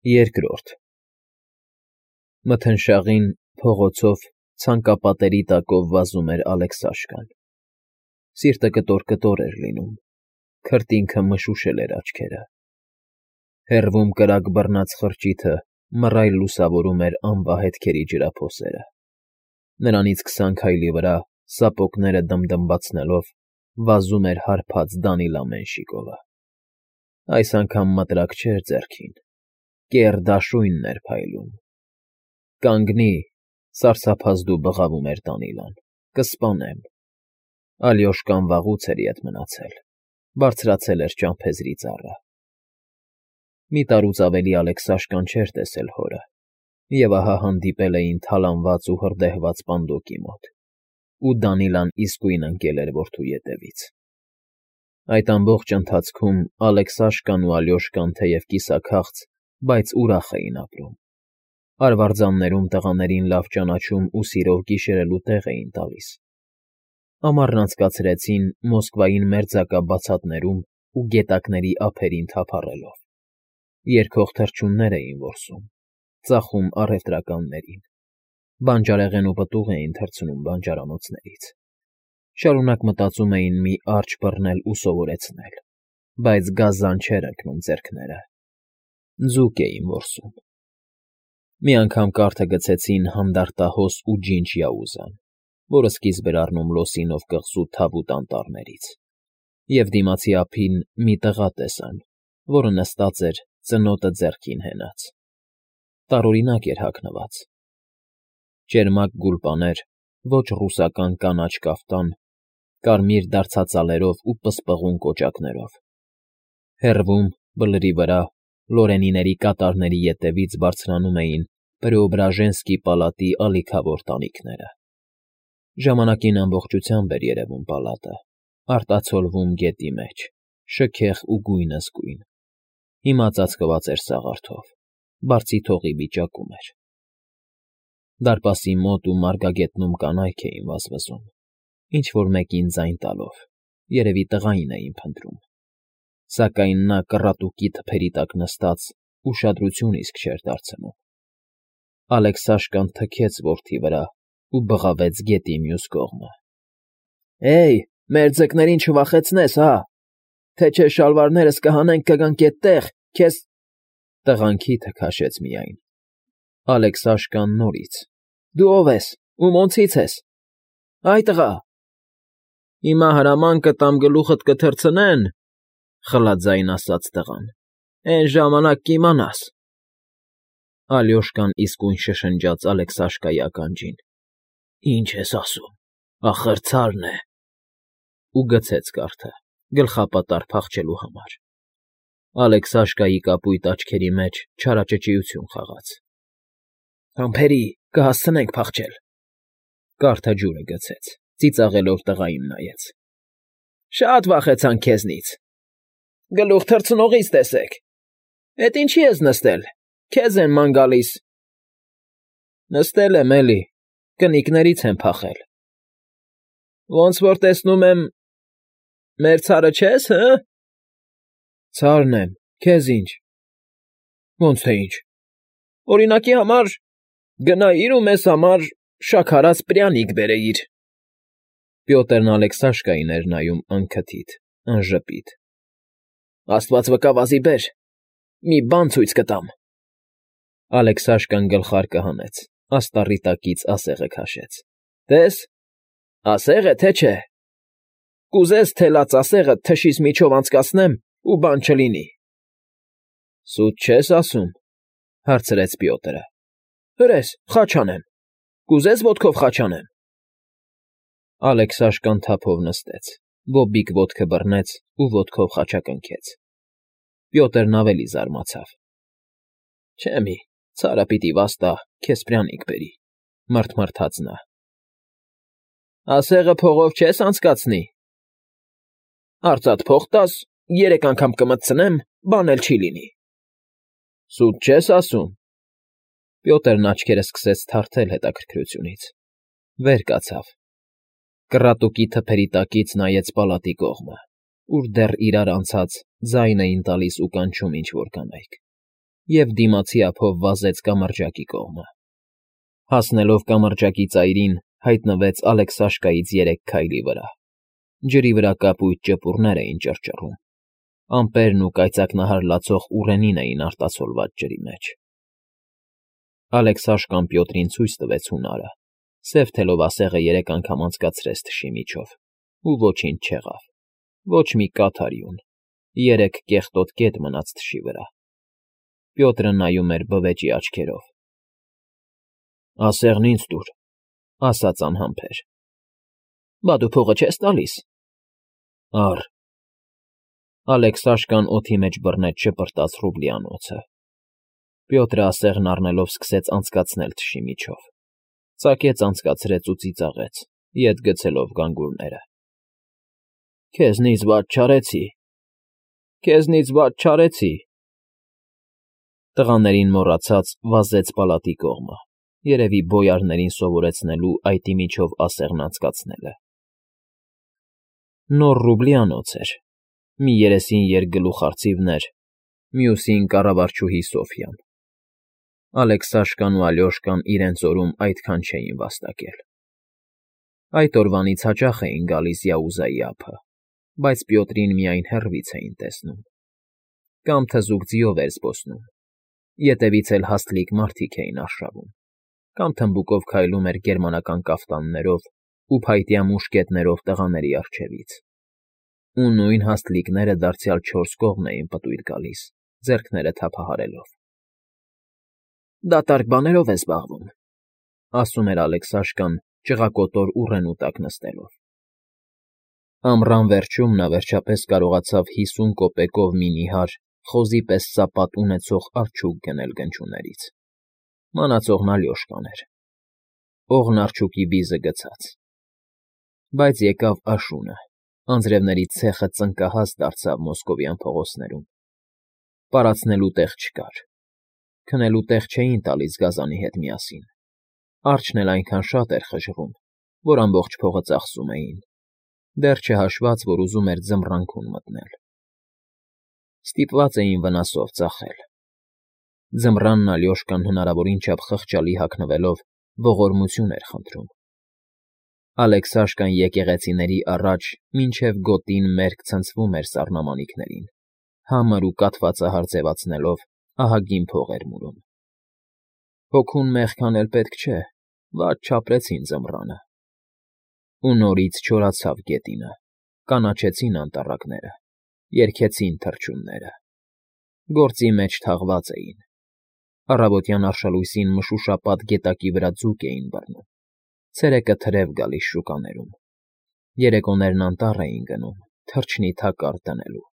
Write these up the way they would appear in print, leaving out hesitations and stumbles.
Երկրորդ Մթնշաղին փողոցով ցանկապատերի տակով վազում էր Ալեքսաշկան։ Սիրտը կտոր էր լինում, քրտինքը մշուշել էր աչքերը։ Հեռվում կրակ բռնած խրճիթը մռայլ լուսավորում էր անվահետքերի ջրափոսերը։ Նրանից 20 քայլի վրա, սապոգները դմդմացնելով, վազում էր հարբած Դանիլա Մենշիկովը։ Այս անգամ մտրակ չէր ձեռքին, կեռ դաշույնն էր փայլում։ «Կանգնի,֊ սարսափազդու բղավում էր Դանիլան,֊ կսպանեմ»։ Ալյոշկան վաղուց էր ետ մնացել, բարձրացել էր ճամփեզի ծառը։ Մի տարուց ավելի Ալեքսաշկան չէր տեսել հորը, և ահա հանդիպել էին թալանված ու հրդեհված պանդոկի մոտ, ու Դանիլան իսկույն ընկել էր որդու ետևից։ Այդ ամբողջ ընթացքում Ալեքսաշկան ու Ալյոշկան թեև կիսաքաղց, բայց ուրախ էին ապրում։ Արվարձաններում տղաներին լավ ճանաչում ու սիրով գիշերելու տեղ էին տալիս։ Ամառն անցկացրեցին Մոսկվային մերձակա բացատներում ու գետակների ափերին թափառելով։ Երգող թռչուններ էին որսում, ծախում առևտրականներին, բանջարեղեն ու պտուղ էին թռցնում բանջարանոցներից։ Շարունակ մտածում էին մի արճ բռնել ու սովորեցնել, բայց գազան չէր ընկնում ձեռքները։ Ձուկ էին որսում։ Մի անգամ կարթը գցեցին հանդարտահոս ու ջինջ Յաուզան, որը սկիզբ էր առնում Լոսինով կղզու թավուտ անտառներից, և դիմացի ափին մի տղա տեսան, որը նստած էր, ծնոտը ձեռքին հենած։ Տարօրինակ էր հագնված. ճերմակ գուլպաներ, ոչ ռուսական կանաչ կաֆտան, կարմիր դարցածալերով ու պսպղուն կոճակներով։ Հեռվում, բլրի վրա, Լորենիների կատարների ետևից բարձրանում էին Պրեոբրաժենսկի պալատի ալիքավոր տանիքները։ Ժամանակին ամբողջությամբ էր երևում պալատը, արտացոլվում գետի մեջ, շքեղ ու գույնզգույն։ Հիմա ծածկված էր սաղարթով, բարձիթողի վիճակում էր։ Դարպասի մոտ ու մարգագետնում կանայք էին վազվզում, ինչ֊որ մեկին ձայն տալով, երևի տղային էին փնտրում։ Սակայն նա կռատուկի թփերի տակ նստած ուշադրություն իսկ չէր դարձնում։ Ալեքսաշկան թքեց որդի վրա ու բղավեց գետի մյուս կողմը։ «Հեյ, մեր ձկներին չվախեցնես, հա, թե չէ շալվարներս կհանենք կգանք էդտեղ, քեզ…» Տղան քիթը քաշեց միայն։ Ալեքսաշկան նորից. «Դու ով ես, ում օնցից ես, այ տղա»։ «Հիմա հրաման կտամ գլուխդ կթռցնեն,֊ խլաձայն ասաց տղան,֊ էն ժամանակ կիմանաս»։ Ալյոշկան իսկույն շշնջաց Ալեքսաշկայի ականջին. «Ինչ ես ասում, ախր ցարն է», ու գցեց կարթը, գլխապատառ փախչելու համար։ Ալեքսաշկայի կապույտ աչքերի մեջ չարաճճիություն խաղաց։ «Համբերի, կհասցնենք փախչել»։ Կարթը ջուրը գցեց, ծիծաղելով տղային նայեց։ «Շատ վախեցանք քեզնից։ Գլուխ թռցնողից տեսեք։ Էդ ինչի ես նստել, քեզ են ման գալիս»։ «Նստել եմ, էլի, կնիկներից եմ փախել»։ «Ոնց որ տեսնում եմ, մեր ցարը չես, հը»։ «Ցարն եմ, քեզ ինչ»։ «Ոնց թե ինչ, օրինակի համար գնայիր ու մեզ համար շաքարած պրյանիկ բերեիր»։ Պյոտրն Ալեքսաշկային էր նայում անքթիթ, անժպիտ։ «Աստված վկա, վազի բեր, մի բան ցույց կտամ»։ Ալեքսաշկան գլխարկը հանեց, աստառի տակից ասեղը քաշեց։ «Տես, ասեղ է, թե չէ։ Կուզես թելած ասեղը թշիս միջով անցկացնեմ ու բան չլինի»։ «Սուտ չես ասում,֊ հարցրեց Պյոտրը։ «Հրես, խաչ անեմ, կուզես ոտքով խաչ անեմ»։ Ալեքսաշկան թափով նստեց, բոբիկ ոտքը բռնեց ու ոտքով խաչակնքեց։ Պյոտրն ավելի զարմացավ։ «Չէ մի, ցարը պիտի վաստա, քեզ պրյանիկ բերի», մռթմռթաց նա։ «Ասեղը փողով չես անցկացնի»։ «Արծաթ փող տաս, 3 անգամ կմտցնեմ, բան էլ չի լինի»։ «Սուտ չես ասում»։ Պյոտրն աչքերը սկսեց թարթել հետաքրքրությունից։ Վեր կացավ։ Կռատուկի թփերի տակից նայեց պալատի կողմը, ուր դեռ իրար անցած ձայն էին տալիս ու կանչում ինչ֊որ կանայք։ և դիմացի ափով վազեց կամրջակի կողմը։ Հասնելով կամրջակի ծայրին, հայտնվեց Ալեքսաշկայից 3 քայլի վրա։ Ջրի վրա կապույտ ճպուռներ էին ճռճռում, ամպերն ու կայծակնահար լացող ուռենին էին արտացոլված ջրի մեջ։ Ալեքսաշկան Պյոտրին ցույց տվեց հունարը, սև թելովասեղը 3 անգամ անցկացրեց թշի միջով, ու ոչինչ չեղավ, ոչ մի կաթ արյուն, 3 կեղտոտ կետ մնաց թշի վրա։ Պյոտրը նայում էր բվեճի աչքերով։ «Ասեղն ինձ տուր», ասաց անհամբեր։ «Բա դու փողը չես տալիս»։ «Առ»։ Ալեքսաշկան օդի մեջ բռնեց շպրտած ռուբլիանոցը։ Պյոտրը ասեղն առնելով սկսեց անցկացնել թշի միջով, ծակեց անցկացրեց ու ծիծաղեց, ետ գցելով գանգուրները։ «Քեզնից վատ չարեցի, քեզնից վատ չարեցի»։ Տղաներին մոռացած վազեց պալատի կողմը, երևի բոյարներին սովորեցնելու այտի միջով ասեղն անցկացնելը։ Նոր ռուբլիանոց էր, մի երեսին երկգլուխ արծիվներ, մյուսին կառավարչուհի Սոֆյան։ Ալեքսաշկան ու Ալյոշկան իրենց օրում այդքան չէին վաստակել։ Այդ օրվանից հաճախ էին գալիս Յաուզայի ափը, բայց Պյոտրին միայն հեռվից էին տեսնում։ Կամ թզուկ ձիով էր զբոսնում, ետևից էլ հաստլիկ մարդիկ էին արշավում, կամ թմբուկով քայլում էր գերմանական կաֆտաններով ու փայտյա մուշկետներով տղաների առջևից։ Ու նույն հաստլիկները դարձյալ 4 կողմ էին պտույտ գալիս, ձեռքները թափահարելով։ «Դատարկ բաներով է զբաղվում», ասում էր Ալեքսաշկան, ճղակոտոր ուռենու տակ նստելով։ Ամռան վերջում նա վերջապես կարողացավ 50 կոպեկով մի նիհար խոզի պես սապատ ունեցող արջուկ գնել գնչուներից։ Մանածողն Ալյոշկան էր։ Օղն արջուկի բիզը գցած։ Բայց եկավ աշունը, անձրևների ցեխը ծնկահաս դարձավ մոսկովյան փողոցներում։ Պարացնելու տեղ չկար։ Քնելու տեղ չէին տալիս գազանի հետ միասին։ Արջն էլ այնքան շատ էր խժռում, որ ամբողջ փողը ծախսում էին, դեռ չհաշված, որ ուզում էր ձմռանքուն մտնել։ Ստիպված էին վնասով ծախել։ Ձմռանն Ալյոշկան հնարավորին չափ խղճալի հագնվելով ողորմություն էր խնդրում։ Ալեքսաշկան եկեղեցիների առաջ մինչև գոտին մերկ ցնցվում էր սառնամանիքներին, համր ու կաթվածահար ձևացնելով ահագին փող էր մուրում։ Հոգուն մեղքան էլ պետք չէ, վատ չապրեցին ձմռանը։ Ու նորից չորացավ գետինը, կանաչեցին անտառակները, երգեցին թռչունները։ Գործի մեջ թաղված էին։ Առավոտյան արշալույսին մշուշապատ գետակի վրա ձուկ էին բռնում, ցերեկը թրև գալիս շուկաներում, երեկոներն անտառ էին գնում, թռչնի թակարդ դնելու։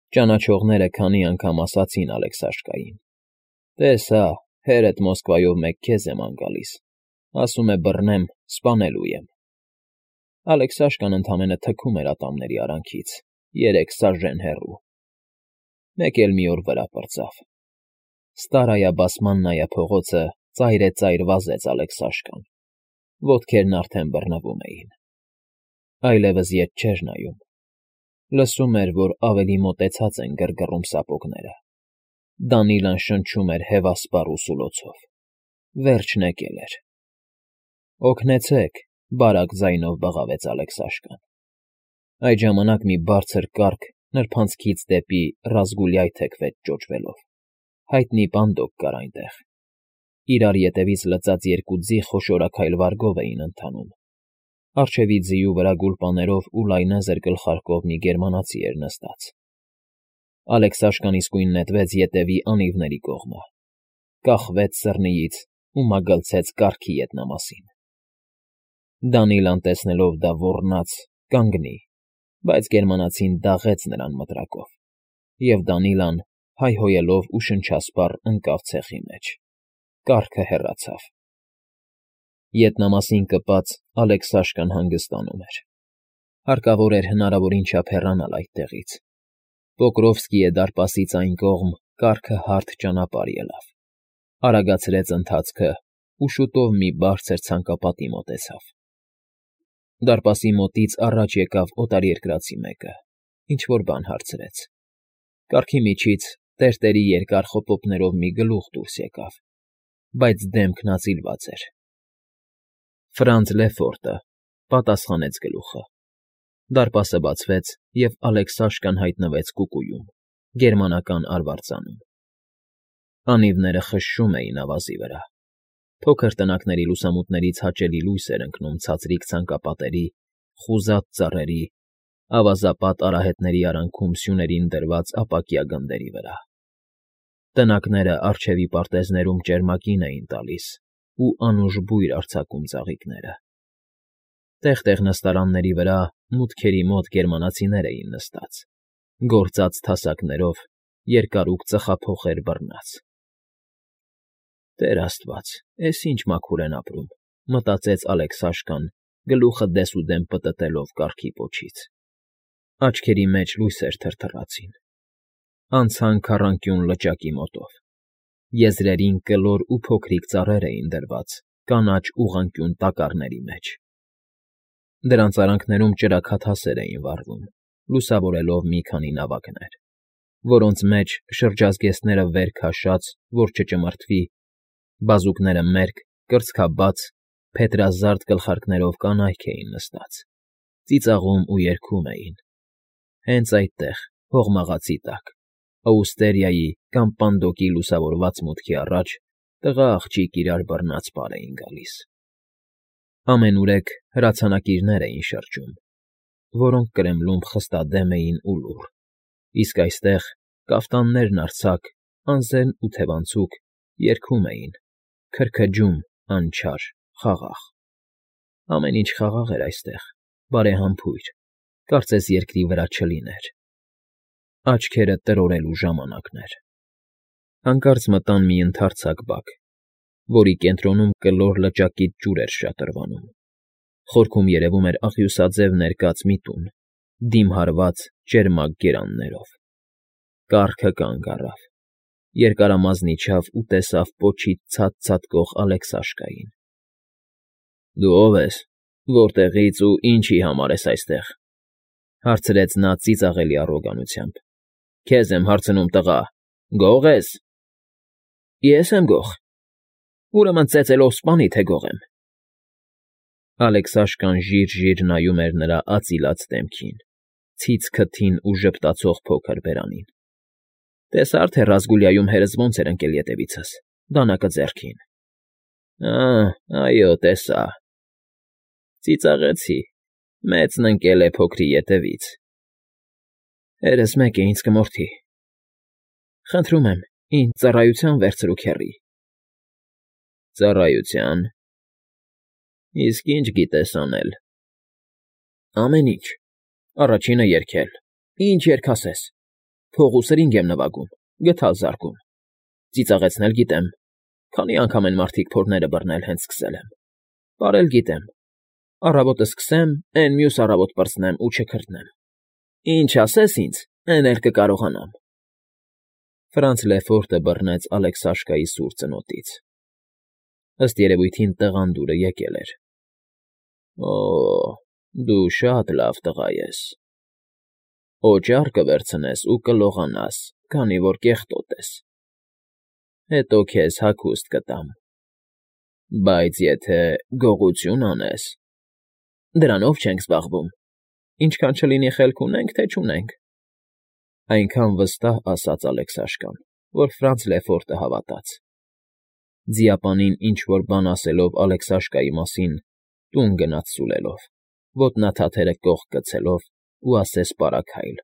Ճանաչողները քանի անգամ ասացին Ալեքսաշկային. «Տես հա, հերդ Մոսկվայով մեկ քեզ եմ անգալիս, ասում է բռնեմ, սպանելու եմ»։ Ալեքսաշկան ընդամենը թքում էր ատամների արանքից, 3 սաժեն հեռու։ Մեկ էլ մի օր վրա պրծավ։ Ստարայա Բասմաննայա փողոցը ծայրեծայր վազեց Ալեքսաշկան, ոտքերն արդեն բռնվում էին։ Այլևս ետ չէր նայում։ Լսում էր, որ ավելի մոտեցած են գրգռում սապոգները։ Դանիլան շնչում էր հևասպառ ու սուլոցով։ Վերջն եկել էր։ «Օգնեցե՛ք», բարակ ձայնով բղավեց Ալեքսաշկան։ Այդ ժամանակ մի բարձր կառք նրբանցքից դեպի Ռազգուլյայ թեքվեց ճոճվելով։ Հայտնի պանդոկ կար այնտեղ։ Իրար ետևից լծած 2 ձի խոշորաքայլ վարգով էին ընթանում։ Առջևի ձիու վրա գուլպաներով ու լայնազր գլխարկով մի գերմանացի էր նստած։ Ալեքսաշկան իսկույն նետվեց ետևի անիվների կողմը, կախվեց սռնիից ու մագլցեց կառքի ետնամասին։ Դանիլան տեսնելով դա ոռնաց կանգնի, բայց գերմանացին դաղեց նրան մտրակով, և Դանիլան, հայհոյելով ու շնչասպառ ընկավ ցեխի մեջ։ Կառքը հեռացավ։ Ետնամասին կպած Ալեքսաշկան հանգստանում էր։ Հարկավոր էր հնարավորին չափ հեռանալ այդտեղից։ Պոկրովսկիե դարպասից այն կողմ կառքը հարթ ճանապարհ ելավ, արագացրեց ընթացքը ու շուտով մի բարձր ցանկապատի մոտեցավ։ Դարպասի մոտից առաջ եկավ օտարերկրացի մեկը, ինչ֊որ բան հարցրեց։ Կառքի միջից Տերտերի երկար խոպոպներով մի գլուխ դուրս եկավ, բայց դեմքն ածիլված էր։ Ֆրանց Լեֆորտը պատասխանեց գլուխը։ Դարպասը բացվեց, և Ալեքսաշկան հայտնվեց կուկուում, գերմանական արվարձանում։ Անիվները խշշում էին ավազի վրա։ Փոքր տնակների լուսամուտներից հաճելի լույս էր ընկնում ցածրիկ ցանկապատերի, խուզած ծառերի, ավազապատ արահետների արանքում սյուներին դրված ապակյա գնդերի վրա։ Տնակները առջևի պարտեզներում ճերմակին էին տալիս ու անուշ բույր արձակում ծաղիկները։ Տեղ֊տեղ նստարանների վրա մուտքերի մոտ գերմանացիներ էին նստած, գործած թասակներով, երկարուկ ծխափոխեր բռնած։ «Տեր աստված, էս ինչ մաքուր են ապրում», մտածեց Ալեքսաշկան, գլուխը դեսուդեն պտտելով կառքի պոչից։ Աչքերի մեջ լույսեր թրթռացին։ Անցան քառանկյուն լճակի մոտով։ Եզրերին կլոր ու փոքրիկ ծառեր էին դրված կանաչ ուղղանկյուն տակառների մեջ։ Դրանց արանքներում ճրագաթասեր էին վառվում, լուսավորելով մի քանի նավակներ, որոնց մեջ շրջազգեստները վեր քաշած, որ չճմրթվի, բազուկները մերկ, կրծքաբաց, փետրազարդ գլխարկներով կանայք էին նստած, ծիծաղում ու երգում էին։ Հենց այդտեղ, հողմաղացի տակ, Աուստերիայի կամ Պանդոկի լուսավորված մուտքի առաջ տղա աղջիկ իրար բռնած պար էին գալիս։ Ամենուրեք հրացանակիրներ էին շրջում, որոնք կրեմլում խստադեմ էին ու լուռ, իսկ այստեղ կաֆտաններն արձակ, անզեն ու թևանցուկ երգում էին, քրքջում, անչար, խաղաղ։ Ամեն ինչ խաղաղ էր այստեղ, բարեհամբույր, կարծես երկրի վրա չլիներ։ Աչքերը տրորելու ժամանակն էր։ Հանկարծ մտան մի ընդարձակ բակ, որի կենտրոնում կլոր լճակից ջուր էր շատրվանում։ Խորքում երևում էր աղյուսաձև ներկած մի տուն, դիմը հարված ճերմակ գերաններով։ Կառքը կանգ առավ, երկարամազն իջավ ու տեսավ պոչից ցած ցատկող Ալեքսաշկային։ ֊ Դու ո՞վ ես, որտեղից ու ինչի համար ես այստեղ,֊ հարցրեց նա ծիծաղելի առոգանությամբ։ ֊ Քեզ եմ հարցնում, տղա, գող ես։ ֊ Ես եմ գող։ Ուրեմն ծեծելով սպանի, թե գող եմ։ Ալեքսաշկան ժիր֊ժիր նայում էր նրա ածիլած դեմքին, ցից քթին ու ժպտացող փոքր բերանին։ Տեսա՞ր, թե Ռազգուլիայում հերս ոնց էր ընկել ետևիցս, դանակը ձեռքին։ Այո, տեսա։ Ծիծաղեցի, մեծն ընկել է փոքրի ետևից։ Հերս մեկ է ինձ կմորթի։ Խնդրում եմ, ինձ ծառայության վերցրու, քեռի։ Ծառայության։ Իսկ ինչ գիտես անել։ Ամեն ինչ։ Առաջինը երգել։ Ինչ երգ ասես։ Փող ու սրինգ եմ նվագում, գդալ զարկում։ Ծիծաղեցնել գիտեմ, քանի անգամ են մարդիկ փորները բռնել, հենց սկսել եմ։ Պարել գիտեմ։ Առավոտը սկսեմ, էն մյուս առավոտ պրծնեմ ու չքրթնեմ։ Ինչ ասես ինձ, էն էլ կկարողանամ։ Ֆրանց Լեֆորտը բռնեց Ալեքսաշկայի սուր ծնոտից։ Ըստ երևույթին տղանդուրը եկել էր։ Օ, դու շատ լավ տղա ես։ Օճառ կվերցնես ու կլողանաս, քանի որ կեղտոտ ես։ Հետո քեզ հագուստ կտամ։ Բայց եթե գողություն անես… Դրանով չենք զբաղվում։ Ինչքան չլինի խելք ունենք, թե չունենք։ Այնքան վստահ ասաց Ալեքսաշկան, որ Ֆրանց Լեֆորտը հավատաց։ Ձիապանին ինչ֊որ բան ասելով Ալեքսաշկայի մասին, տուն գնաց սուլելով, ոտնաթաթերը կողք գցելով ու ասես պարաքայլ,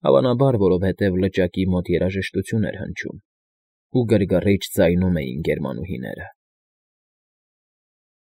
հավանաբար, որովհետև լճակի մոտ երաժշտություն էր հնչում, ու գրգռիչ ձայնում էին գերմանուհիները։